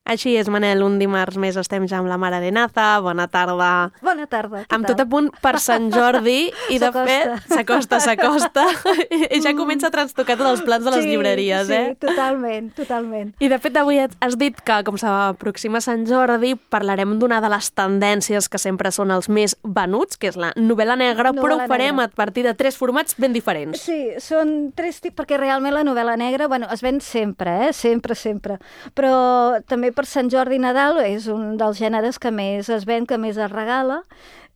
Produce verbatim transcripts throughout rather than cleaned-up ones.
Així és, Manel, un dimarts més estem ja amb la Mare de Naza. Bona tarda. Bona tarda. Amb tot a punt per Sant Jordi i de fet s'acosta, s'acosta i ja comença a trastocar tots els plans de les sí, llibreries, sí, eh? Sí, totalment, totalment. I de fet avui has dit que com s'aproxima Sant Jordi parlarem d'una de les tendències que sempre són els més venuts, que és la novel·la negra, novel·la però ho farem negra. A partir de tres formats ben diferents. Sí, són tres tips, perquè realment la novel·la negra, bueno, es ven sempre, eh? Sempre, sempre. Però també per Sant Jordi i Nadal és un dels gèneres que més es ven, que més es regala,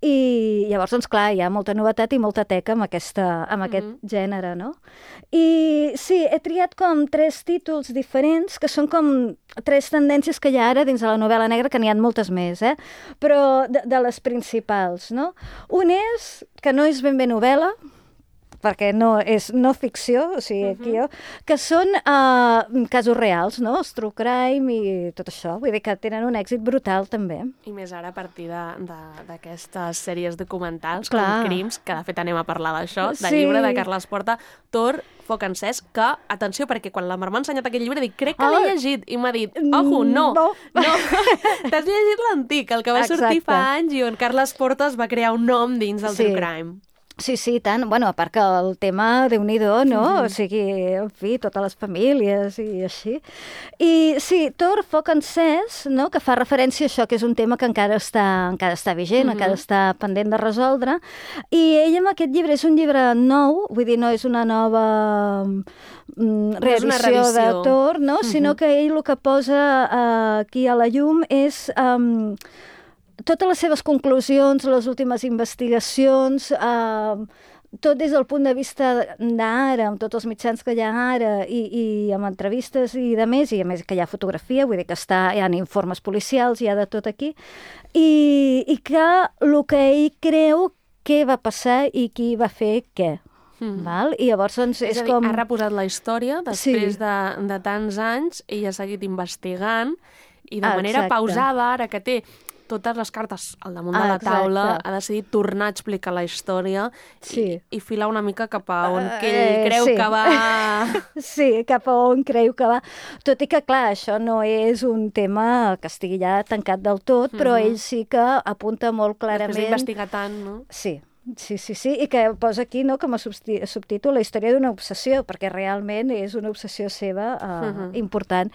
i llavors, doncs clar, hi ha molta novetat i molta teca amb, aquesta, amb aquest mm-hmm. gènere, no? I sí, he triat com tres títols diferents, que són com tres tendències que hi ha ara dins de la novel·la negra, que n'hi ha moltes més, eh? Però de, de les principals, no? Un és, que no és ben bé novel·la, perquè no és no ficció, o sigui, aquí jo, que són uh, casos reals, no? Els true crime i tot això. Vull dir que tenen un èxit brutal, també. I més ara a partir d'aquestes sèries documentals Clar. com Crims, que de fet anem a parlar d'això, del sí. llibre de Carles Porta, Tor, Foc encès, que, atenció, perquè quan la Mar m'ha ensenyat aquest llibre, dic, crec que oh. l'he llegit, i m'ha dit, ojo, no, no, no. T'has llegit l'antic, el que va Exacte. sortir fa anys i on Carles Porta es va crear un nom dins del sí. true crime. Sí, sí, tant. Bueno, a part que el tema, Déu-n'hi-do, no? Mm-hmm. O sigui, en fi, totes les famílies i així. I sí, Tor, Foc encès, no? Que fa referència a això, que és un tema que encara està, encara està vigent, mm-hmm. encara està pendent de resoldre. I ell amb aquest llibre, és un llibre nou, vull dir, no és una nova mm, reedició de Tor, no? Mm-hmm. Sinó que ell el que posa uh, aquí a la llum és... Um, totes les seves conclusions, les últimes investigacions, eh, tot des del punt de vista d'ara, amb tots els mitjans que hi ha ara, i, i amb entrevistes i de més, i a més que hi ha fotografia, vull dir que està, hi ha informes policials, hi ha de tot aquí, i, i que el que ell creu què va passar i qui va fer què. Mm. Val? I llavors doncs, és, és a dir, com... ha reposat la història després sí. de, de tants anys, ell ha seguit investigant, i de ah, manera exacte. pausada, ara que té totes les cartes al damunt ah, de la taula, exacte. ha decidit tornar a explicar la història sí. i, i filar una mica cap a on uh, que ell creu sí. que va... sí, cap a on creu que va. Tot i que, clar, això no és un tema que estigui ja tancat del tot, però uh-huh. ell sí que apunta molt clarament... Després d'investigar tant, no? Sí. Sí, sí, sí, i que posa aquí no, com a subtítol la història d'una obsessió, perquè realment és una obsessió seva uh, uh-huh. important.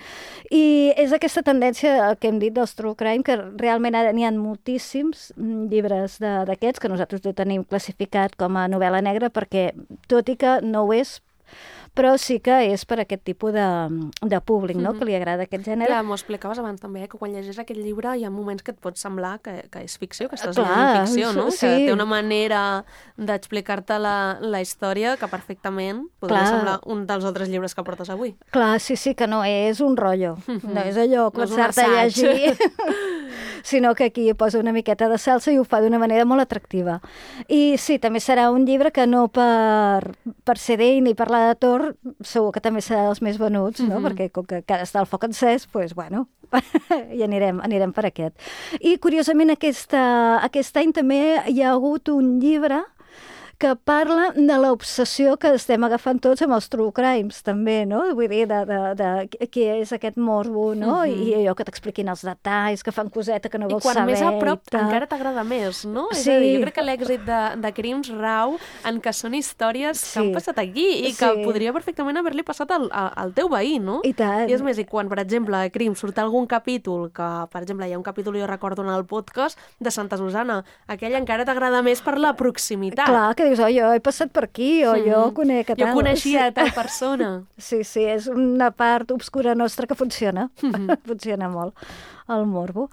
I és aquesta tendència que hem dit dels true crime, que realment ara n'hi ha moltíssims llibres d'aquests, que nosaltres ho tenim classificat com a novel·la negra, perquè tot i que no ho és, però sí que és per aquest tipus de, de públic, no? Mm-hmm. Que li agrada aquest gènere. Clar, m'ho explicaves abans també, eh? Que quan llegis aquest llibre hi ha moments que et pot semblar que, que és ficció, que estàs Clar, llegint ficció, no? Sí. Que té una manera d'explicar-te la, la història que perfectament podria Clar. semblar un dels altres llibres que portes avui. Clar, sí, sí, que no és un rotllo. Mm-hmm. No és allò, començar-te no a llegir... sinó que aquí posa una miqueta de salsa i ho fa d'una manera molt atractiva. I sí, també serà un llibre que no per, per ser d'ell ni parlar de Tor, segur que també serà dels més venuts, no? Mm-hmm. Perquè com que cada està el foc encès, doncs, pues, bueno, i anirem, anirem per aquest. I, curiosament, aquesta, aquest any també hi ha hagut un llibre que parla de l'obsessió que estem agafant tots amb els true crimes, també, no? Vull dir, de, de, de què és aquest morbo, no? Uh-huh. I allò que t'expliquin els detalls, que fan coseta que no vols saber. I quan més a prop encara t'agrada més, no? Sí. És a dir, jo crec que l'èxit de, de Crims rau en que són històries sí. que han passat aquí i que sí. podria perfectament haver-li passat al, al teu veí, no? I tant. I és més, i quan, per exemple, a Crims surt algun capítol, que, per exemple, hi ha un capítol, jo recordo en el podcast, de Santa Susana, aquell encara t'agrada més per la proximitat. Clar, que dius, oh, jo he passat per aquí, o mm. jo conec a tal. Jo coneixia sí. tal persona. Sí, sí, és una part obscura nostra que funciona. Mm-hmm. Funciona molt, el morbo.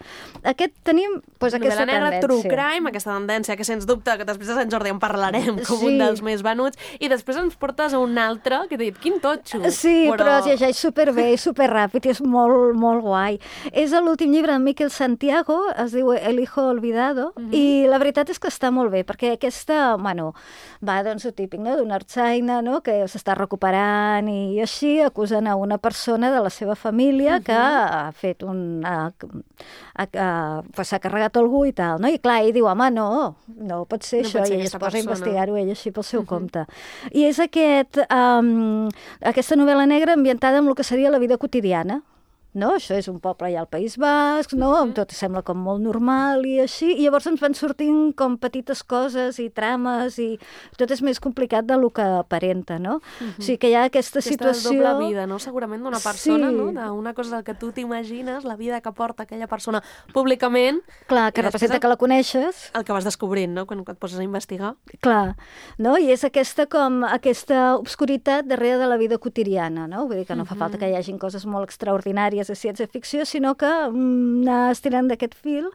Aquest tenim, doncs, aquesta negra, tendència. True crime, aquesta tendència que, sens dubte, que després de Sant Jordi en parlarem com sí. un dels més venuts, i després ens portes a un altre, que t'he dit, quin totxo. Sí, però, però es llegeix superbé, superràpid, i és molt, molt guai. És l'últim llibre de Miquel Santiago, es diu El hijo olvidado, mm-hmm. i la veritat és que està molt bé, perquè aquesta, bueno, va, doncs, el típic, no?, d'una artsaina, no?, que s'està recuperant i així, acusen a una persona de la seva família uh-huh. que ha fet un... Ha, ha, ha, pues, s'ha carregat algú i tal, no? I clar, ell diu, home, no, no pot ser no això, pot ser i ell es posa persona. a investigar-ho ell així pel seu uh-huh. compte. I és aquest, um, aquesta novel·la negra ambientada amb el que seria la vida quotidiana, no? Això és un poble allà al País Basc, no? Mm-hmm. Tot sembla com molt normal i així, i llavors ens van sortint com petites coses i trames i tot és més complicat del que aparenta, no? Mm-hmm. O sigui que hi ha aquesta, aquesta situació... Aquesta doble vida, no? Segurament d'una persona, sí. no? D'una cosa del que tu t'imagines, la vida que porta aquella persona públicament... Clar, que representa el... que la coneixes. El que vas descobrint, no? Quan et poses a investigar. Clar, no? I és aquesta com aquesta obscuritat darrere de la vida quotidiana, no? Vull dir que no mm-hmm. fa falta que hi hagin coses molt extraordinàries de ciència-ficció, sinó que mm, anar estirant d'aquest fil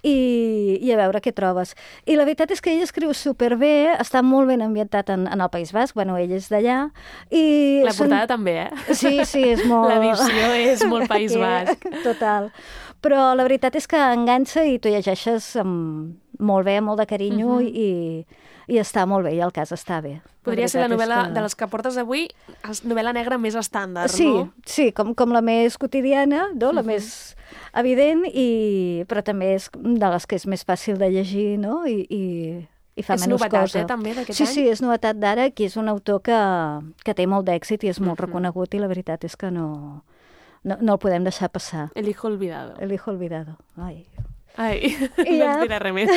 i, i a veure què trobes. I la veritat és que ell escriu superbé, està molt ben ambientat en, en el País Basc, bueno, ell és d'allà. I la portada són... també, eh? Sí, sí, és molt... L'edició és molt País Basc. Total. Però la veritat és que enganxa i tu llegeixes amb... molt bé, molt de carinyo uh-huh. i, i està molt bé, i el cas està bé. Podria ser la novel·la que... de les que portes avui, novel·la negra més estàndard, sí, no? Sí, com, com la més quotidiana, no? La uh-huh. més evident, i... però també és de les que és més fàcil de llegir, no? I, i, i fa és menys novetat, cosa. Eh, també, d'aquest sí, any? Sí, sí, és novetat d'ara, que és un autor que, que té molt d'èxit i és molt uh-huh. reconegut, i la veritat és que no, no, no el podem deixar passar. El hijo olvidado. El hijo olvidado. Ai... Ai, I no ja, ens diré res més.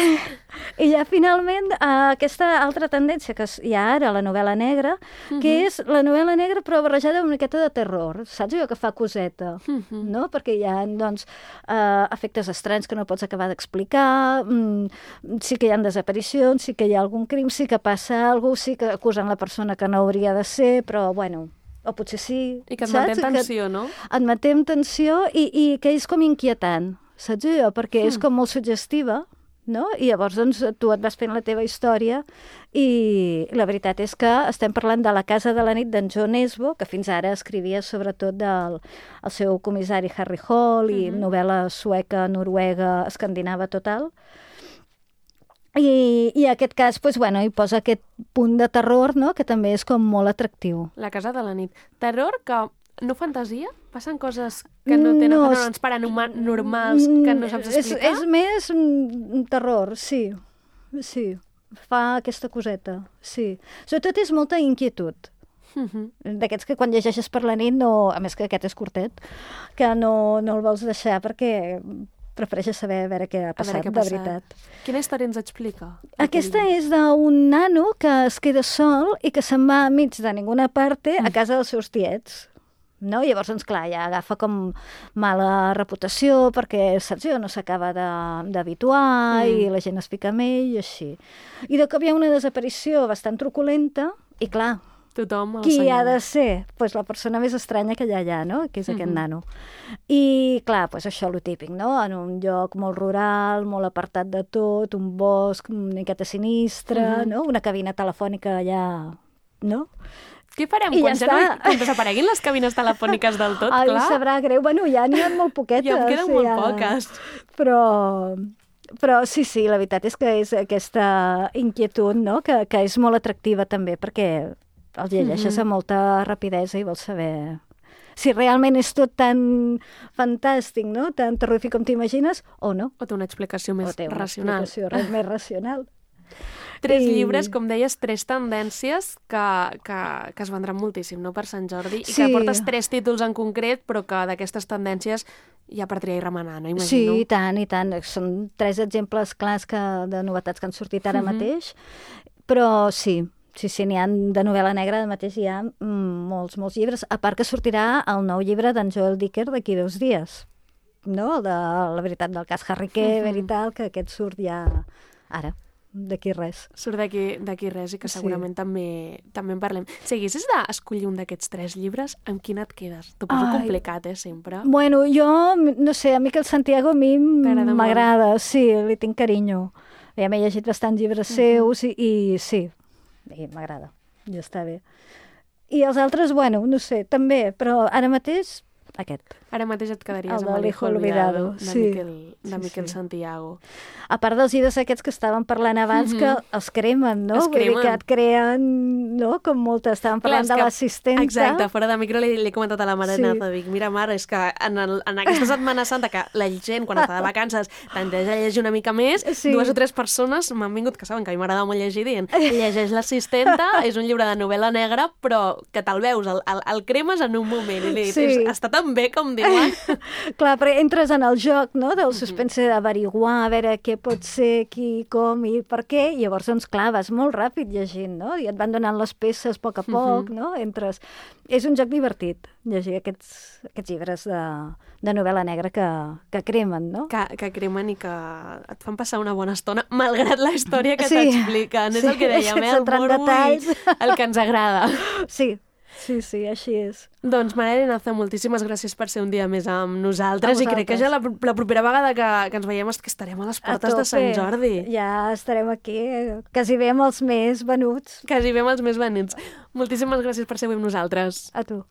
I ja finalment uh, aquesta altra tendència que hi ha ara, la novel·la negra, uh-huh. que és la novel·la negra però barrejada amb una miqueta de terror, saps allò que fa coseta, uh-huh. no? Perquè hi ha, doncs, uh, efectes estranys que no pots acabar d'explicar, mm, sí que hi ha desaparicions, sí que hi ha algun crim, sí que passa alguna cosa, sí que acusen la persona que no hauria de ser, però, bueno... o potser sí, I que et saps? manté en tensió, que no? Et manté en tensió i, i que és com inquietant, saps allò? Perquè mm. és com molt suggestiva, no? I llavors doncs, tu et vas fent la teva història i la veritat és que estem parlant de La casa de la nit d'en John Nesbo, que fins ara escrivia sobretot del el seu comissari Harry Hole i mm-hmm. novel·la sueca, noruega, escandinava total. I, i en aquest cas, doncs, bueno, hi posa aquest punt de terror, no?, que també és com molt atractiu. La casa de la nit. Terror que no fantasia? Passen coses que no tenen no, fenòmens paranormals que no saps explicar? És, és més un terror, sí. Sí. Fa aquesta coseta, sí. Sobretot és molta inquietud. Uh-huh. D'aquests que quan llegeixes per la nit, no, a més que aquest és curtet, que no, no el vols deixar perquè... prefereixes saber a veure què ha passat, què ha passat. De veritat. Quina història ens explica? Aquesta és d'un nano que es queda sol i que se'n va mig de ninguna parte a casa dels seus tiets. No? Llavors, doncs, clar, ja agafa com mala reputació perquè, saps, jo, no s'acaba d'habituar mm. i la gent es fica amb ell i així. I de cop hi ha una desaparició bastant truculenta i, clar, tothom qui ha de ser? Pues la persona més estranya que hi ha allà, no? Que és aquest mm-hmm. nano. I, clar, pues això, lo típic, no? En un lloc molt rural, molt apartat de tot, un bosc, una miqueta sinistre, mm-hmm. no? Una cabina telefònica allà, no? Què farem I quan, ja ja no, quan desapareguin les cabines telefòniques del tot, Ai, clar? Ai, sabrà greu. Bueno, ja n'hi ha molt poquetes. Ja en queden sí, molt ja. poques. Però... Però sí, sí, la veritat és que és aquesta inquietud, no?, que, que és molt atractiva també, perquè el llegeixes mm-hmm. amb molta rapidesa i vols saber si realment és tot tan fantàstic, no?, tan terrorífic com t'imagines, o no. O té una explicació més o té una racional. explicació més racional. Tres I... llibres, com deies, tres tendències que, que, que es vendran moltíssim, no?, per Sant Jordi, i sí. que portes tres títols en concret, però que d'aquestes tendències hi ha per triar i remenar, no? Imagino. Sí, i tant, i tant. Són tres exemples clars que, de novetats que han sortit ara mm-hmm. mateix, però sí, sí, sí, n'hi ha de novel·la negra, ara mateix hi ha molts, molts llibres, a part que sortirà el nou llibre d'en Joel Dicker d'aquí dos dies, no? El de la veritat del cas Harry Kay, mm-hmm. veritat, que aquest surt ja ara. D'aquí res. Surt d'aquí d'aquí res i que segurament sí. també, també en parlem. Si haguessis d'escollir un d'aquests tres llibres, amb quin et quedes? T'ho poso Ai. complicat, eh, sempre. Bueno, jo, no sé, a mi que el Santiago a mi m'agrada, sí, li tinc carinyo. Ja m'he llegit bastants llibres uh-huh. seus i, i sí, i m'agrada, ja està bé. I els altres, bueno, no sé, també, però ara mateix aquest. Ara mateix et quedaries el amb el Hijo Olvidado, de sí. Miquel, de sí, Miquel sí. Santiago. A part dels llibres aquests que estàvem parlant abans, mm-hmm. que els cremen, no? Es cremen. Vull dir que et creen, no? Com molta, estàvem parlant Clar, de l'assistenta. Exacte, fora de micro li, li he comentat a la mare sí. Naza, dic, mira mare, és que en, el, en aquesta Setmana Santa que la gent, quan està de vacances, tendeix a llegir una mica més, sí. dues o tres persones m'han vingut, que saben que a mi m'agrada molt llegir, dient, llegeix l'assistenta, és un llibre de novel·la negra, però que te'l veus, el, el, el cremes en un moment. I li he dit, sí. està tan tan bé com diuen. Clar, però entres en el joc, no?, del suspense d'averiguar, a veure què pot ser, qui, com i per què, i llavors, doncs, clar, vas molt ràpid llegint, no?, i et van donant les peces a poc a poc, no?, entres... És un joc divertit, llegir aquests, aquests llibres de, de novel·la negra que, que cremen, no? Que, que cremen i que et fan passar una bona estona, malgrat la història que sí, t'expliquen. És sí, el que dèiem, eh? El morbo i el que ens agrada. Sí, sí, sí, així és. Doncs, Maria Arenaza, moltíssimes gràcies per ser un dia més amb nosaltres i crec que ja la, la propera vegada que, que ens veiem és que estarem a les portes a de Sant Jordi. Ja estarem aquí, quasi bé amb els més venuts. Quasi bé amb els més venuts. Moltíssimes gràcies per ser avui amb nosaltres. A tu.